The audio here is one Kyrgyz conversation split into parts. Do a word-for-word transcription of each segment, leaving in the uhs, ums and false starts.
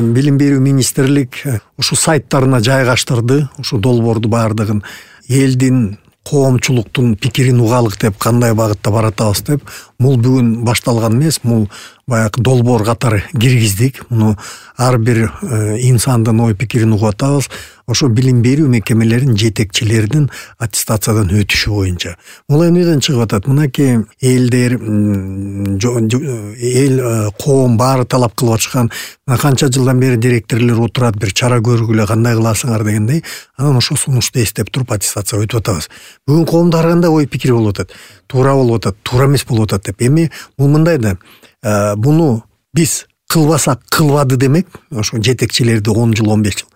билим берүү министрлик ушу сайттарына жайгаштырды. Ушу долбоорду баардыгын элдин, коомчулуктун пикирин угалык деп, кандай багытта баратабыз деп. Бул бүгүн башталган эмес, бул баягы долбоор катары киргиздик. Муну ар бир инсандын ой пикирин угуп атабыз. Ошо билим берүү мекемелеринин жетекчилеринин аттестациядан өтүшү боюнча. Бул эмнеден чыгып атат? Мынакей элдер, эл, коом баары талап кылып атышкан, канча жылдан бери директорлор отурат, бир чара көргүлө, кандай кыласыңар дегендей. Анан ошо сунушту эстеп туруп аттестация өтүп атабыз. Бүгүн коомдо ар кандай ой пикир болуп атат. Туура болуп атат, туура эмес болуп атат деп. Эми бул мындай да, буну биз кылбасак кылбады демек, ошо жетекчилерди он жыл, он беш жыл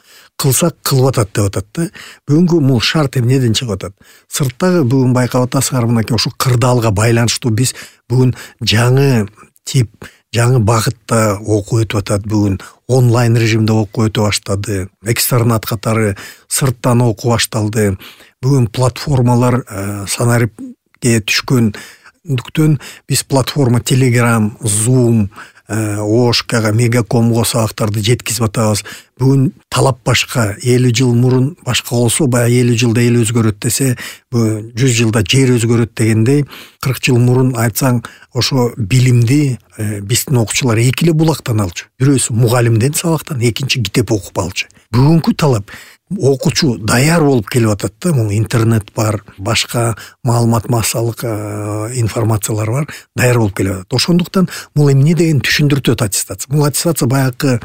кылсак кылып атат деп атат да. Бүгүнкү бул шарт эмнеден чыгып атат? Сырттагы бүгүн байкап атасыңар, мынакей ошо кырдаалга байланыштуу биз бүгүн жаңы тип, жаңы багытта окуу өтүп атат. Бүгүн онлайн режимде окуу өтө баштады. Экстернат катары сырттан окуу башталды. Бүгүн платформалар санариптке түшкөндүктөн биз платформа Telegram, Zoom, Ошкага, Мегакомго сабактарды жеткизип атабыз. Бүгүн талап башка. элүү жыл мурун башка болсо, баягы элүү жылда эл өзгөрөт десе, жүз жылда жер өзгөрөт дегендей, кырк жыл мурун айтсаң, ошо билимди биздин окуучулар эки эле булактан алчу. Бирөөсү мугалимден сабактан, экинчи китеп окуп алчу. Бүгүнкү талап окуучу даяр болуп келип атат да. Бул интернет бар, башка маалымат массалык информациялар бар, даяр болуп келип атат. Ошондуктан бул эмне деген түшүндүртөт аттестация. Бул аттестация баягы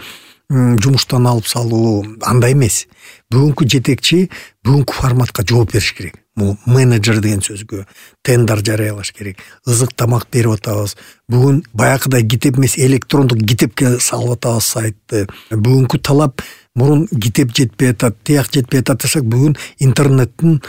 жумуштан алып салуу андай эмес. Бүгүнкү жетекчи бүгүнкү форматка жооп бериш керек. Бул менеджер деген сөзгө тендер жарыялаш керек. Ызык тамак берип атабыз. Бүгүн баягыдай китеп эмес, электрондук китепке салып атабыз сайтты. Бүгүнкү талап мурун китеп жетпей атат, тияк жетпей атат десек, бүгүн интернеттин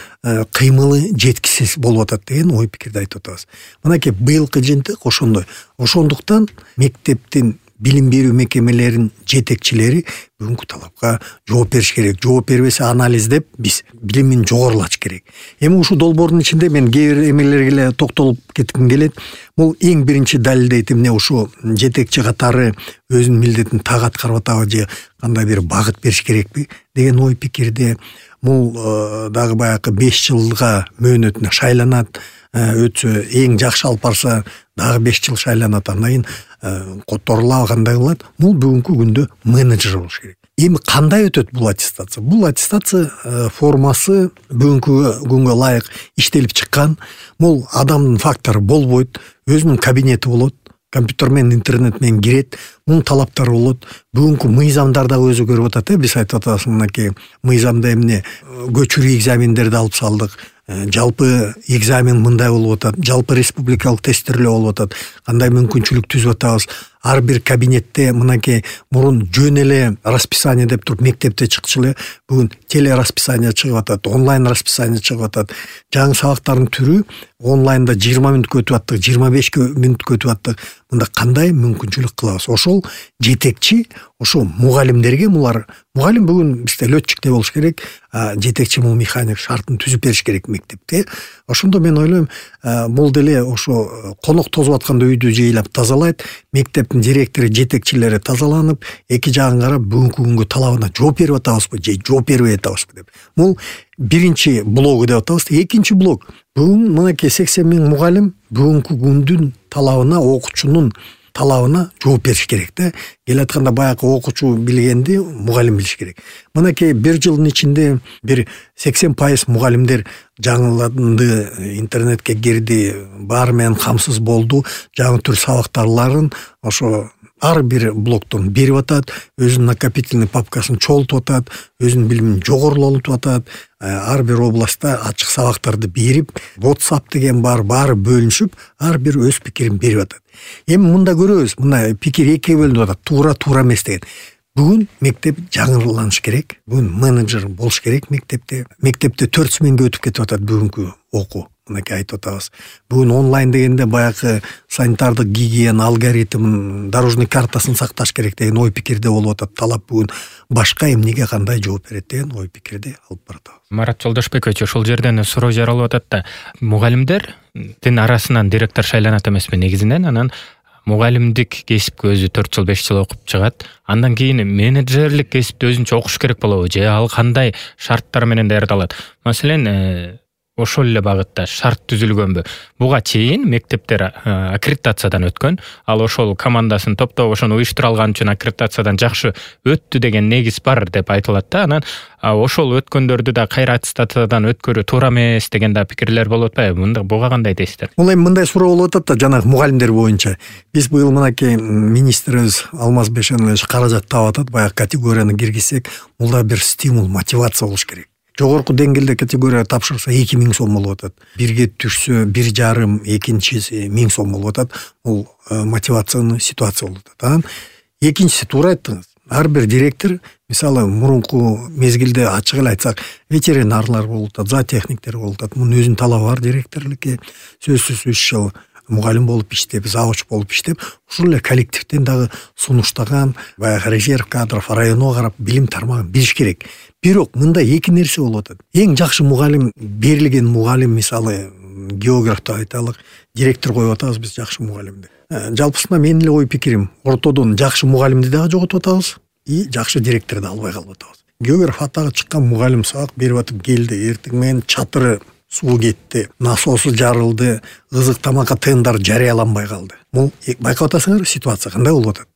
кыймылы жеткисиз болуп атат деген ой пикирди айтып атабыз. Мынакей быйылкы жыйынтык ошондой. Ошондуктан мектептин, билим берүү мекемелеринин жетекчилери бүгүнкү талапка жооп бериш керек. Жооп бербесе анализдеп биз билимин жогорулатыш керек. Эми ушул долбоордун ичинде мен кээ бир эмелерге эле токтолуп кетким келет. Бул эң биринчи далилдейт эмне, ушу жетекчи катары өзүнүн милдетин так аткарып атабы же кандай бир багыт бериш керекпи деген ой пикирде. Бул дагы баягы беш жылга мөөнөтүнө шайланат. Өтсө эң жакшы алып барса дагы беш жыл шайланат. Андан кийин которулабы, кандай кылат? Бул бүгүнкү күндө менеджер болуш керек. Эми кандай өтөт бул аттестация? Бул аттестация формасы бүгүнкү күнгө ылайык иштелип чыккан. Бул адамдын фактору болбойт, өзүнүн кабинети болот, компьютер менен, интернет менен кирет, мунун талаптары болот. Бүгүнкү мыйзамдар дагы өзгөрүп атат. Биз айтып атабыз, мынакей мыйзамда эмне көчүрүү экзамендерди алып салдык. Жалпы экзамен мындай болуп атат, жалпы республикалык тесттөөлөр болуп атат. Кандай мүмкүнчүлүк түзүп атабыз? Ар бир кабинетте мынакей мурун жөн эле расписание деп туруп мектепте чыкчу эле, бүгүн теле расписание чыгып атат, онлайн расписание чыгып атат. Жаңы сабактардын түрү онлайнда жыйырма мүнөткө өтүп аттык, жыйырма бешке мүнөткө өтүп аттык. Мында кандай мүмкүнчүлүк кылабыз? Ошол жетекчи, ошо мугалимдерге, мулар мугалим бүгүн бизде летчикте болуш керек, жетекчи бул механик шартын түзүп бериш керек мектепте. Ошондо мен ойлойм, бул деле ошо конок тозуп атканда үйдү жыйлап тазалайт, мектептин директору, жетекчилери тазаланып, эки жагын карап бүгүнкү күнгө талабына жооп берип атабызбы же жооп бербей атабызбы деп. Бул биринчи блогу деп атабыз. Экинчи блог, бүгүн мынакей сексен миң мугалим бүгүнкү күндүн талабына, окуучунун талабына жооп бериш керек да. Келатканда баягы окуучу билгенди мугалим билиш керек. Мынакей бир жылдын ичинде бир сексен пайыз мугалимдер жаңыланды, интернетке кирди, баары менен камсыз болду, жаңы түр сабактарларын ошо ар бир блоктон берип атат, өзүнүн накопительный папкасын чогултуп атат, өзүнүн билимин жогорулатып атат, ар бир областта ачык сабактарды берип, WhatsApp деген бар, баары бөлүнүшүп, ар бир өз пикирин берип атат. Эми мында көрөбүз, мына пикир экиге бөлүнүп атат, туура туура эмес деген. Бүгүн мектеп жаңыланыш керек, бүгүн менеджер болуш керек мектепте. Мектепте төрт сменге өтүп кетип атат бүгүнкү окуу. Мынакей айтып атабыз. Бүгүн онлайн дегенде баягы санитардык гигиена алгоритмин, дорожный картасын сакташ керек деген ой пикирде болуп атат. Талап бүгүн башка эмнеге кандай жооп берет деген ой пикирде алып баратабыз. Марат Жолдошбекович, ошол жерден суроо жаралып атат да, мугалимдердин арасынан директор шайланат эмеспи негизинен, анан мугалимдик кесипке өзү төрт жыл беш жыл окуп чыгат, андан кийин менеджерлик кесипти өзүнчө окуш керек болобу же ал кандай шарттар менен даярдалат? Маселен, ошол эле багытта шарт түзүлгөнбү? Буга чейин мектептер аккредитациядан өткөн, ал ошол командасын топтоп ошону уюштура алган үчүн аккредитациядан жакшы өттү деген негиз бар деп айтылат да. Анан ошол өткөндөрдү да кайра аттестациядан өткөрүү туура эмес деген да пикирлер болуп атпайбы? Мында буга кандай дейсиздер? Бул эми мындай суроо болуп атат да, жанагы мугалимдер боюнча. Биз быйыл мынакей министрибиз Алмаз Бейшенович каражат таап атат, баягы категорияны киргизсек, бул да бир стимул, мотивация болуш керек. Жогорку деңгээлде категория тапшырса эки миң сом болуп атат. Бирге түшсө бир жарым, экинчиси миң сом болуп атат. Бул мотивациянын ситуация болуп атат. Анан экинчиси туура айттыңыз. Ар бир директор, мисалы, мурунку мезгилде ачык эле айтсак, ветеринарлар болуп атат, зоотехниктер болуп атат. Мунун өзүнүн талабы бар директорлукка. Сөзсүз үч жыл мугалим болуп иштеп, завуч болуп иштеп, ушул эле коллективден дагы сунуштаган, баягы резерв кадров районго карап билим тармагын билиш керек. Бирок мында эки нерсе болуп атат. Эң жакшы мугалим, берилген мугалим, мисалы, географты айталык, директор коюп атабыз биз жакшы мугалимди. Жалпысында менин эле ой пикирим, ортодон жакшы мугалимди дагы жоготуп атабыз, и жакшы директорду албай калып атабыз. Географ атагы чыккан мугалим сабак берип атып келди, эртең менен чатыры суу кетти, насосу жарылды, ызык тамакка тендар жарыяланбай калды. Бул байкап атасыңар, ситуация кандай болуп атат?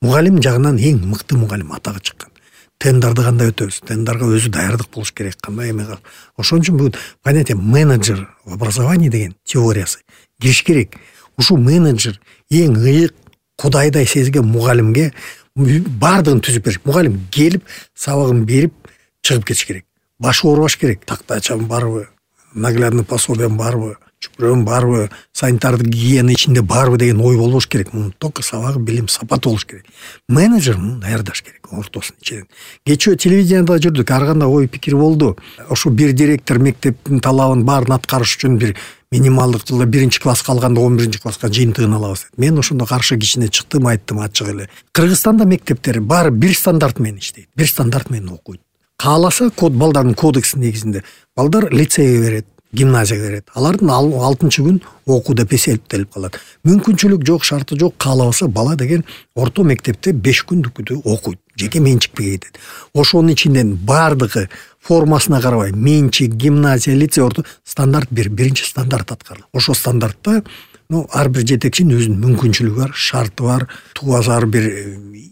Мугалим жагынан эң мыкты мугалим атагы чыккан. Тендарды кандай өтөбүз? Тендарга өзү даярдык болуш керек, кандай эме калып. Ошон үчүн бул понятие менеджер в образовании деген теориясы кириш керек. Ушул менеджер эң ыйык, кудайдай сезген мугалимге бардыгын түзүп бериш. Мугалим келип, сабагын берип, чыгып кетиш керек. Башы оорубаш керек. Тактачам барбы? Наглядный пособием барбы? Чүпүрөм барбы? Санитардык гигиена ичинде барбы деген ой болбош керек. Мунун только сабагы, билим, сапаты болуш керек. Менеджер муну даярдаш керек ортосун ичинен. Кечээ телевидениеда жүрдүк, ар кандай ой пикир болду. Ошо бир директор мектептин талабын баарын аткарыш үчүн бир минималдык жылда биринчи класска алганда он биринчи класска жыйынтыгын алабыз деп. Мен ошондо каршы кичине чыктым, айттым ачык эле. Кыргызстанда мектептер баары бир стандарт менен иштейт, бир стандарт менен окуйт. Кааласа код балдардын кодекси негизинде балдар лицейге берет, гимназияга берет. Алардын алтынчы күн окуу деп эсептелип калат. Мүмкүнчүлүк жок, шарты жок, каалабаса бала деген орто мектепте беш күндүкүдү окуйт. Жеке менчикке кетет. Ошонун ичинен бардыгы формасына карабай, менчик, гимназия, лицей, орто стандарт бир, биринчи стандарт аткарылат. Ошо стандартта ну ар бир жетекчинин өзүнүн мүмкүнчүлүгү бар, шарты бар, тубазар бир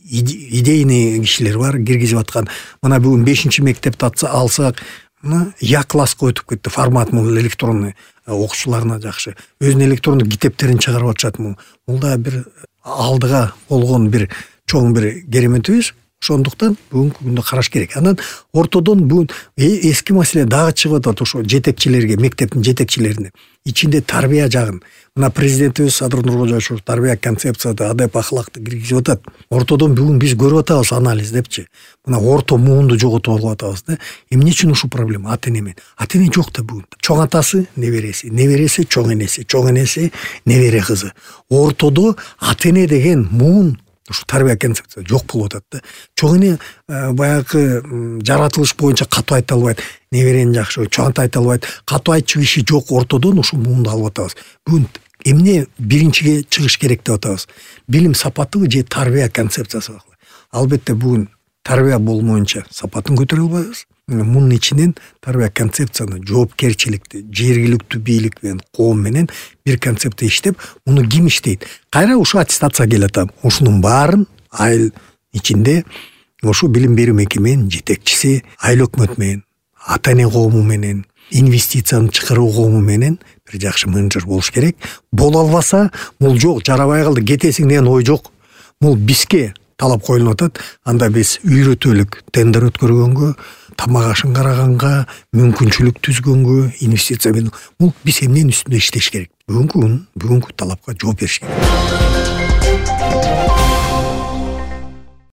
идейный кишилер бар киргизип аткан. Мына бүгүн бешинчи мектепти алсак, Я класска өтүп кетти, формат мул электронный, окуучуларына жакшы. Өзүнүн электрондук китептерин чыгарып атышат мул. Бул да бир алдыга болгон бир чоң бир кереметибиз. Ошондуктан бүгүнкү күндө караш керек. Анан ортодон бүгүн эски маселе дагы чыгып атат, ошо жетекчилерге, мектептин жетекчилерине. Ичинде тарбия жагын. Мына президентибиз Садыр Нуркожоевич тарбия концепцияда адеп ахлакты киргизип атат. Ортодон бүгүн биз көрүп атабыз анализ депчи. Мына орто муунду жоготуп алып атабыз да. Эмне үчүн ушул проблема? Ата эне менен. Ата эне жок да бүгүн. Чоң атасы, небереси, небереси, чоң энеси, чоң энеси, небере кызы. Ортодо ата эне деген муун ушу тарбия концепция жок болуп атат да. Чоң эне баягы жаратылыш боюнча катуу айта албайт, неберени жакшы, чоң ата айта албайт. Катуу айтчу киши жок, ортодон ушул муунду алып атабыз. Бүгүн эмне биринчиге чыгыш керек деп атабыз? Билим сапатыбы же тарбия концепциясы? Албетте бүгүн тарбия болмоюнча сапатын көтөрө албайбыз. Мунун ичинен тарбия концепцияны, жоопкерчиликти, жергиликтүү бийлик менен, коом менен бир концепция иштеп, муну ким иштейт? Кайра ушу аттестация келет атам. Ушунун баарын айыл ичинде ушу билим берүү мекеменин жетекчиси, айыл өкмөт менен, ата эне коому менен, инвестицияны чакыруу коому менен бир жакшы менеджер болуш керек. Боло албаса, мул жок, жарабай калды, кетесиң деген ой жок. Мул бизге талап коюлуп атат. Анда биз үйрөтөлүк тендер өткөргөнгө, тамак ашын караганга, мүмкүнчүлүк түзгөнгө, инвестиция менен бул биз эмненин үстүндө иштеш керек? Бүгүнкү күн, бүгүнкү талапка жооп бериш керек.